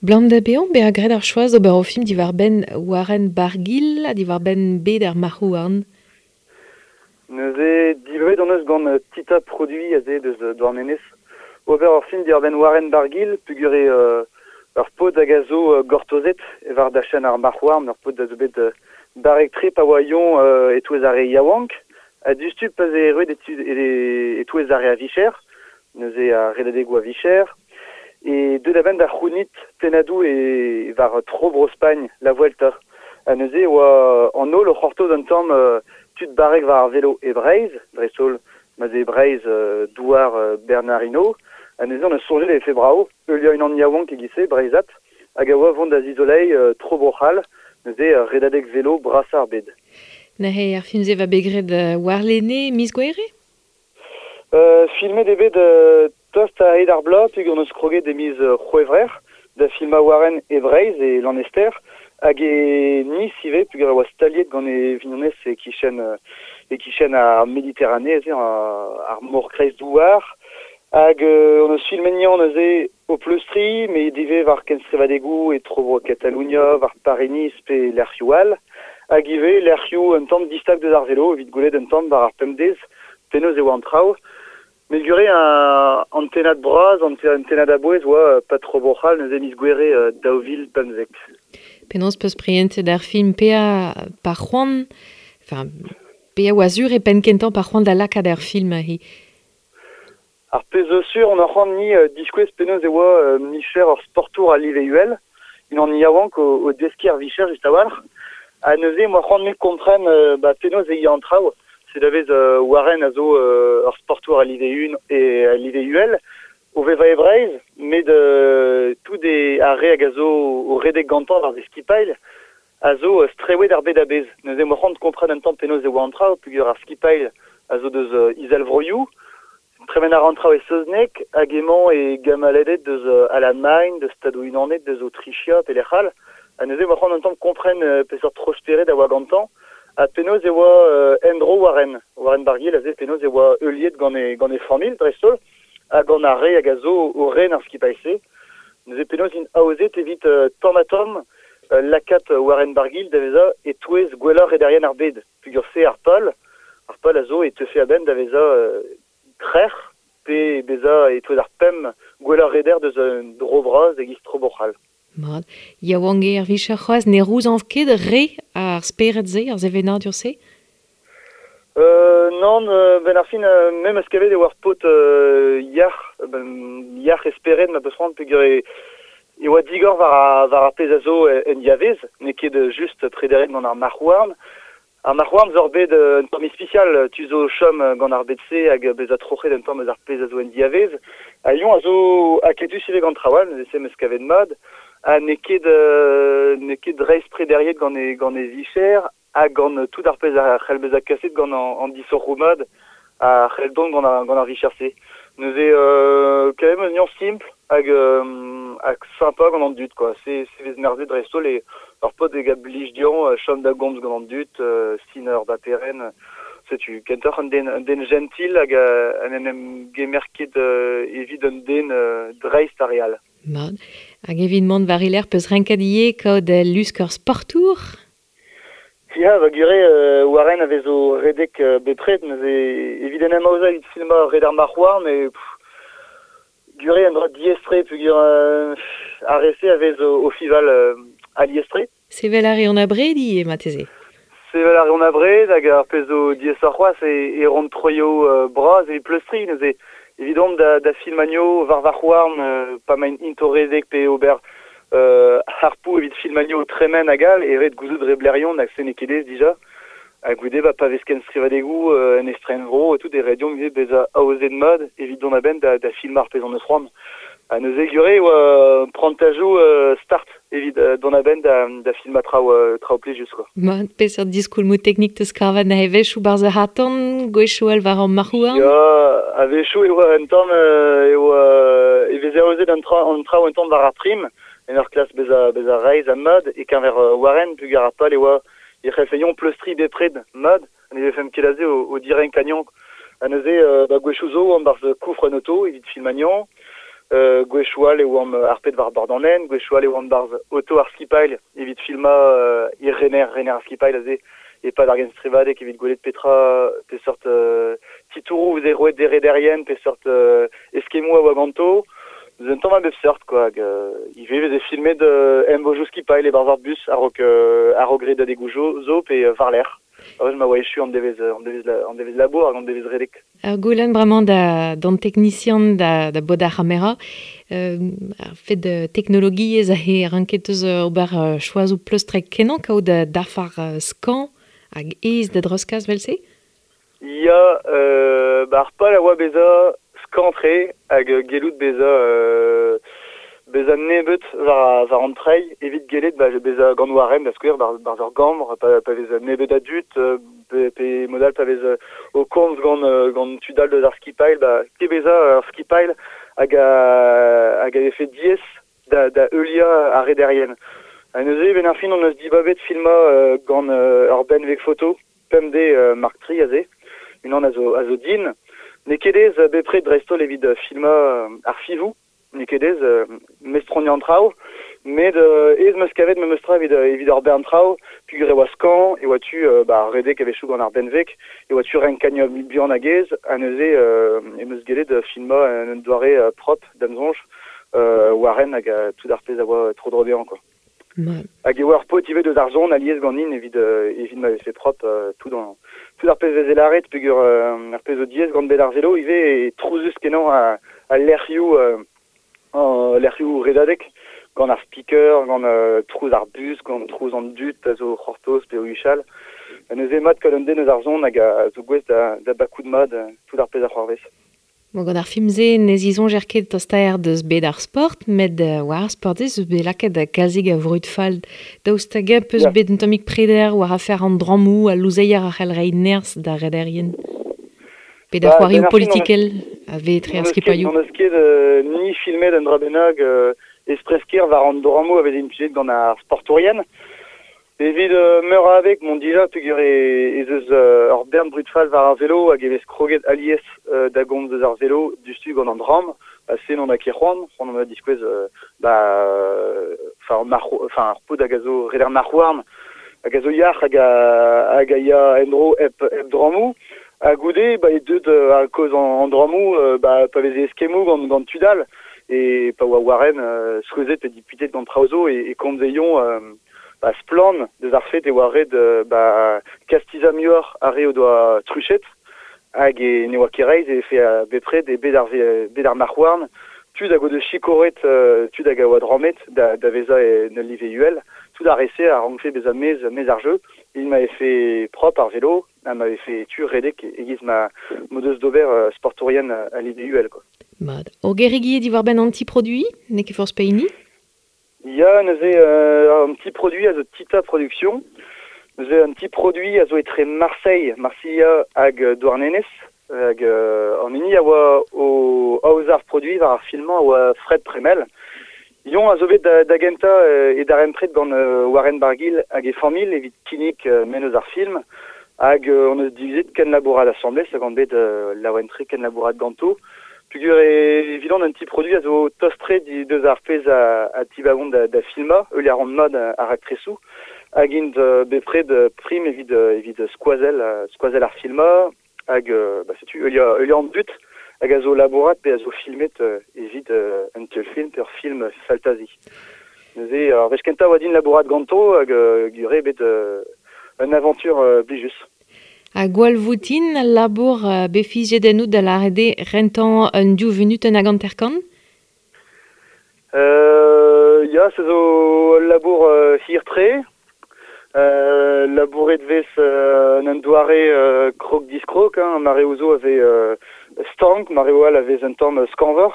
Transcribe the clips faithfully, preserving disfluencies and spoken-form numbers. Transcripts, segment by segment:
Blam da beon, be a gred ar choaz ober o film diwar ben Warren Barguil ha diwar ben bet ar marc'houarn. Neuze divet on eus gant Tita Produit aze deus Douarnenez. Ober ur film diwar ben Warren Barguil, pugure euh, ur pod hag a zo euh, gortozet e war da chen ar marc'houarn, ur pod da zo bet euh, barrek tre pa oa ion euh, etouez ar re yaouank, ha dustu pa ze erruet etouez ar re a vicher, neuze a redadegou a vicher, e deut a-benn da c'hounit pennadou e war tro Bro-Spagn, la Vuelta. Ha neuze oa an holl o c'hortoz un tamm euh, tud barrek war ar velo e Breizh, dreist-holl ma ze Breizh euh, douar euh, Bernardino, ha neuze on eus soñjet e fe brao, heuliañ unan yaouank e-giz-se, Breizhat, hag a oa vont da zizolei euh, tro Bro-C'hall, neuze euh, redadeg velo brasañ ar bed. Neuze ar film-se va bet graet euh, warlene miz Gouere? Euh, filmet eo bet euh, tost a hed ar bloaz, peogwir on eus kroget e miz euh, C'hwevrer, da filmañ Warren e Breizh e Lanester, hag e Nice ivez, peogwir e oa staliet gant e vignonez e kichen, e kichen ar Méditerranée, aze, ar mor kreizdouar. Hag euh, on eus filmet nian neuze o pleustri, met ivez war kenstrivadegou e tro Catalunya, war Paris-Nice pe lec'hioù all. Hag ivez lec'hioù un tamm distag deus ar velo, evit gwelet un tamm war ar pemdez, penaos e oa an traoù. Met gure un an tennad bras, an tennad a-bouez oa pa tro Bro-C'hall neuze miz Gouere euh, daou vil pemzek. Penaos peus prientet ar film pea par c'hoant, enfin, pea oa sur e penn kentañ par c'hoant da lakaat ar film hi. Ar pezh zo sur, on a c'hoant ni euh, diskouez penaos e oa euh, micher ur sportour a live uhel, unan yaouank o, o deskiñ ar vicher just a-walc'h. Ha neuze, moa c'hoant me kompren euh, ba, penaos e ya an traoù. Se da vez euh, Warren a zo euh, ur sportour a live un e a live uhel, o vevañ e Breizh, met euh, tout e ar re hag a zo o redek gantañ war e skipailh, a zo euh, strewet ar bed a-bezh. Neuze moa c'hoant kompren un tamm penaos e oa an traoù, peogwir ar skipailh a zo deus euh, Izelvroioù, tremen ar an traoù e saozneg, hag emañ e gamaledet deus euh, Alamagn, deus Stadoù-Unanet, deus Aotrichia, pe lec'h all. Ha neuze moa c'hoant un tamm kompren euh, peseurt tro-spered a oa gantañ, ha penaos e oa euh, endro Warren. Warren Barguil aze penaos e oa heuliet gant e, gant e familh dreist-holl, hag gant ar re hag a zo o ren ar skipailh-se. Neuze penaos int aozet evit euh, tamm ha tamm euh, lakaat Warren Barguil da vezañ e-touez gwellañ rederien ar bed. Peogwir se ar pal, ar pal a zo e teufe a-benn da vezañ euh, trec'h pe bezañ e-touez ar pemp gwellañ reder deus un dro bras e-giz tro Bro-C'hall. Mat, yaouank eo ar vicher c'hoazh ne rouzañv ket re ar spered-se, ar sevenadur-se? Euh, nann, euh, ben ar fin, euh, mem eus kavet e oa ar paotr euh, yac'h, ben, yac'h e spered ma peus c'hoant peogwir e, e oa digor war ar, war ar pezh a zo en diavez, n'eo ket just prederet gant ar marc'h-houarn. Ar marc'h-houarn zo ur bed euh, un tamm ispisial, tu zo chom gant ar bed-se hag bezañ troc'het un tamm eus ar pezh a zo en diavez. Ha Lyon a zo aketus ivez gant traoù all, neuze se 'm eus kavet mat. Ha n'eo ket, euh, n'eo ket dreist prederiet gant e, gant e vicher, ha gant tout ar pezh a c'hell bezañ kaset gant an, an disoc'hoù mat a c'hell dont gant ar, gant ar vicher-se. Neuze euh, quand même un nuance simple hag, euh, hag sympa gant an dud, quoi. Se, se vez merzet dreist-holl e ur paotr hag a blij dezhañ euh, chom da gomz gant an dud, euh, sin ur baperen, setu kentoc'h un den, un den gentil hag euh, en en em gemer ket euh, evit un den euh, dreist ar re all. Mat. Hag evit mont war e lerc'h peus renket ivez kaout lusk ur sportour? Ya, va gure, euh, Warren a vezo redek euh, bepred, neuze evit en em aozañ evit filmañ red ar marc'h-houarn, e pff, gure un dra diaes-tre peogwir euh, ar re-se a vez o, o fival euh, alies-tre. Sevel a reont abred ivez, marteze? Sevel a reont abred hag ar pezh zo diaesoc'h c'hoazh e, e ront troioù euh, bras evit pleustriñ, neuze evidomp da, da filmañ war varc'h-houarn, euh, pa maint int o redek pe ober euh, harpoù evit filmañ tremen hag all, e ret gouzout reblerion hag se n'eo ket aes dija. Ha goude ba pa vez kenstrivadegoù euh, en estrenvro e tout e ret deomp ivez bezañ aozet mat evit dont a-benn da, da filmañ ar pezh hon eus c'hoant. Ha neuze gure oa prantajoù euh, start evit euh, dont a-benn da, da filmañ traoù, euh, traoù plijus, quoi. Mat, peseurt diskoulmoù teknik teus kavet neuze a-wechoù barzh ar c'harr-tan, gwechoù all war an marc'h-houarn? Ya, a-wechoù e oa un tamm euh, e oa e veze aozet an tra, an traoù un tamm war ar prim, en ur klask bezañ, bezañ reizh ha mat, e-keñver euh, Warren, peogwir ar pal e oa e c'hellfe pleustriñ bepred mat, ne vefemp ket aze o, o direnkañ. Ha neuze, euh, ba gwechoù zo an barzh koufr an oto evit filmañ. Euh, gwechoual e oamp ar pet war bord an en, gwechoual e oamp barz auto ar skipail evit filma euh, ir rener, rener ar skipail aze e pad ar gen strevadek evit gwelet petra pesort euh, titourou veze roet dere derien, pesort euh, eskemou a oa ganto. Eus un tamm a bep seurt quoi, hag euh, ivez veze filmet euh, embojou skipail e barz ar bus a-raok euh, a-raok red adegou zo pe euh, war l'air. Ar ma oa echu an devez, an devez, la, an devez labour hag an devez redek. Ar goulenn bremañ da, d'an teknisian da, da bod ar c'hamera, euh, ar fed de teknologiezh a he ranket eus ober uh, choazoù pleustrek kenañ kaout da dafar uh, skañv hag aes da dreuzkas vel-se? Ya, euh, ba ar pal a oa bezañ skañv-tre hag gellout bezañ euh, bezañ nebeut war, war an treiñ evit gellet ba, bezañ gant warem da skouer bar, bar ur gambr, pa, pa vez nebeut a dud, pe, pe modal pa vez o komz gant, gant tudal deus ar skipail, ba, ket bezañ ar skipail hag a, hag a vefe diaes da, da heuliañ ar rederien. Ha neuze, ben ar fin on eus dibabet filmañ euh, gant euh, ur benveg foto, pemp D euh, Mark tri aze, unan a zo, a zo din. N'eo ket aes bepred dreist-holl evit filmañ ar fivoù, n'eo ket aes euh, mestroniañ an traoù, met euh, aes meus kavet memes tra evit, evit ar bern traoù, peogwir e oa skañv, e oa tu euh, ba, redek a-wechoù gant ar benveg, e oa tu renkañ buan hag aes, ha neuze euh, em eus gellet filmañ un doare euh, propre da'm soñj, euh, warren hag euh, tout ar pezh a oa tro-dro dezhañ quoi. Ma. Hag e oa ur paotr ivez deus ar zon alies ganin evit, euh, evit ma vefe propre euh, tout an, tout ar pezh veze lâret peogwir euh, ar pezh zo diaes gant bet ar velo ivez e trouzus kenañ a, a lec'hioù euh, an lec'hioù redadek gant ar speaker, gant euh, trouz ar bus, gant trouz an dud a zo c'hortoz pe o huchal. Ha neuze mat kaout un den eus ar zon hag a zo gouest da, da bakout mat tout ar pezh a c'hoarvez. Bon, gant ar film-se ne zisoñjer ket tostaer deus bet ar sport, met uh, war ar sport ez eus bet lakaet kalzik a vrud fall. Daoust hag eñ peus Ya. bet un tammig preder war afer an drammoù, al louzeier a c'hell reiñ nerzh d'ar rederien. Pe da Ba, c'hoarioù ben ar fin, on eus politikel a vez etre ar on eus ket, skipailhoù. on eus ket euh, ni filmet un dra bennak euh, espresker war an drammoù a vez implijet gant ar sportourien. Evit euh, meur a abeg, mont dija peogwir e, ez eus euh, ur bern brud fall war ar velo hag e vez kroget alies euh, da gomz eus ar velo dustu gant an dramm, ha se n'on a ket c'hoant, c'hoant on a diskouez euh, ba, enfin, marc'h, enfin, ar paotr hag a zo reder marc'h-houarn, hag a zo yac'h hag a, hag a ya en-dro hep, hep drammoù. Ha goude, ba, e deut euh, a kaoz an, an drammoù, euh, ba, pa veze eskemmoù gant, gant tudal, e pa oa warren euh, souezhet pe diputet gant traoù zo e, e komzeion euh, ba, splann deus ar fet e oa ret euh, ba, kastizañ muioc'h ar re o doa truchet, hag e ne oa ket reizh e fe a bepred e bet ar, bet ar marc'h-houarn, tud hag o deus chikoret, euh, tud hag a oa drammet da, da vezañ e en ul live uhel, tout ar re-se a rankfe bezañ mez, mez ar jeu, il m'avait fait propre ar vélo, ha m'avait fait tu redek e-giz ma m'o deus d'ober euh, sportourien a live uhel quoi. Mat. Ur gerig diwar benn an ti-produiñ, n'eo ket forzh pehini? Ya, neuze euh, un petit produit a zo Tita Production. Neuze un petit produit a zo etre Marseille, Marseilla hag Douarnenez, hag euh, an hini a oa o aozañ ar produiñ war ar filmañ a oa Fred Premel. Yon a zo bet da, da gentañ euh, e darempred gant euh, Warren Barguil hag e familh evit kinnig euh, mennozh ar film, hag euh, on eus divizet kenlabourat asambles hag on bet euh, laouen-tre kenlabourat ganto. Peogwir e evidon un petit produit a zo tost-tre di deus ar pezh a, a tibagon da, da filmañ, eul ar an mat ar aktresoù, hag int euh, bepred euh, prim evit, euh, evit skoazell, euh, skoazell ar filmañ, hag euh, ba, setu eul eul an dut hag a zo labourat pe a zo filmet euh, evit euh, un teulfilm pe ur film faltazi. Neuze, ar wech kentañ oa din labourat ganto hag euh, gure bet euh, un aventure euh, blijus. Ha gwall voutin al labour euh, bet fiziet ennout da lâret eo rentañ un div vunutenn hag hanter-kant? Euh, ya, se zo ul labour euh, hir-tre. Euh, labouret vez euh, un doare euh, krog-diskrog, hein, mareoù zo a vez euh, stank, mareoù all a vez un tamm skañvoc'h,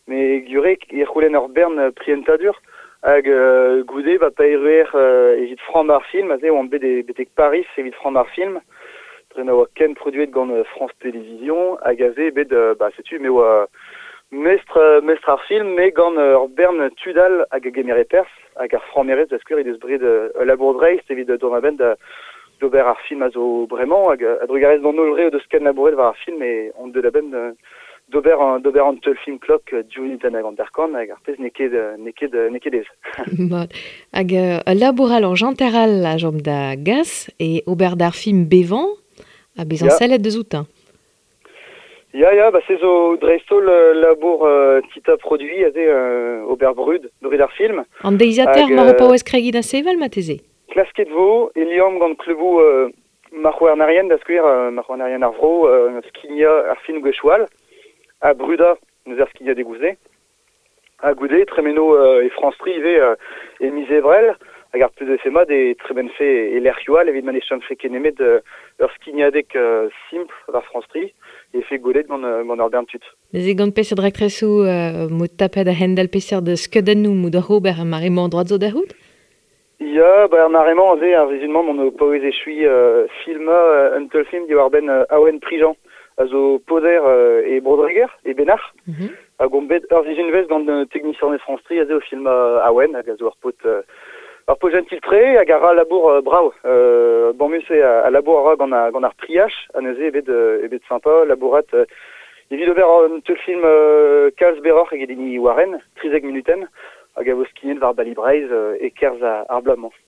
met gure e c'houlenn ur bern prientadur, hag euh, goude ba pa erruer euh, evit framm ar film, aze oan bet e betek Paris evit framm ar film, dre ma oa ken produet gant euh, France Télévisions, hag aze bet, euh, ba, setu, me oa mestr, mestr ar film, me gant ur bern tudal hag a gemere perzh, hag ar frammerez da skouer he deus bred euh, ul labour dreist evit dont a-benn da d'ober ar film a zo bremañ, hag a drugarez d'an holl re o deus ken labouret war ar film e on deut a-benn euh, d'ober an, d'ober an teul film klok div munutenn hag hanter-kant hag ar pezh n'eo ket, n'eo ket, n'eo ket aes. Mat. Hag euh, ul labour all ur janter all a chom da gas e ober d'ar film bevañ ha bezañ Ya. sellet deus outañ. Ya, ya, ba se zo dreist-holl euh, labour euh, tita produit aze euh, ober brud, brud ar film. An deiziataer Hag, mar o euh, paouez kregiñ da sevel marteze. Klasket vo, e liamm gant kleuboù euh, marc'hhouarnerien da skouer, euh, marc'hhouarnerien ar vro, euh, skignañ ar film gwechall, ha brudañ neuze ar skignadegoù-se. Ha goude, tremeno euh, e France tri ivez euh, e miz Ebrel, hag ar pezh mat e tremenfe e lec'hioù all evit ma ne chomfe ket nemet euh, ur skignadeg euh, simpl war France tri e fe gwelet gant, euh, gant ur bern tud. Neuze gant peseurt raktresoù euh, mod tapet a-hend-all peseurt skeudennoù mod oc'h ober ar mare-mañ droad zo da c'hoût? Ya, ba ar mare-mañ aze ar sizhun-mañ m'on o paouez echuiñ euh, filmañ euh, un teulfilm diwar-benn euh, Awen Prigent a zo poder euh, e Bro-Dreger, e Benac'h. Mm -hmm. Hag on bet ur sizhunvezh gant euh, teknisianez France tri aze o filmañ Awen hag a zo ur paotr euh, ur paotr jentil-tre hag a ra labour euh, brav. Euh, bamus eo a, a labour a ra gant, a, gant ar priach ha neuze eo bet, euh, eo bet sympa labourat euh, evit ober un teulfilm euh, kalz berroc'h eget hini Warren, trizek munutenn, hag a vo skignet war Bali Breizh euh, e-kerzh ar, ar bloaz-mañ.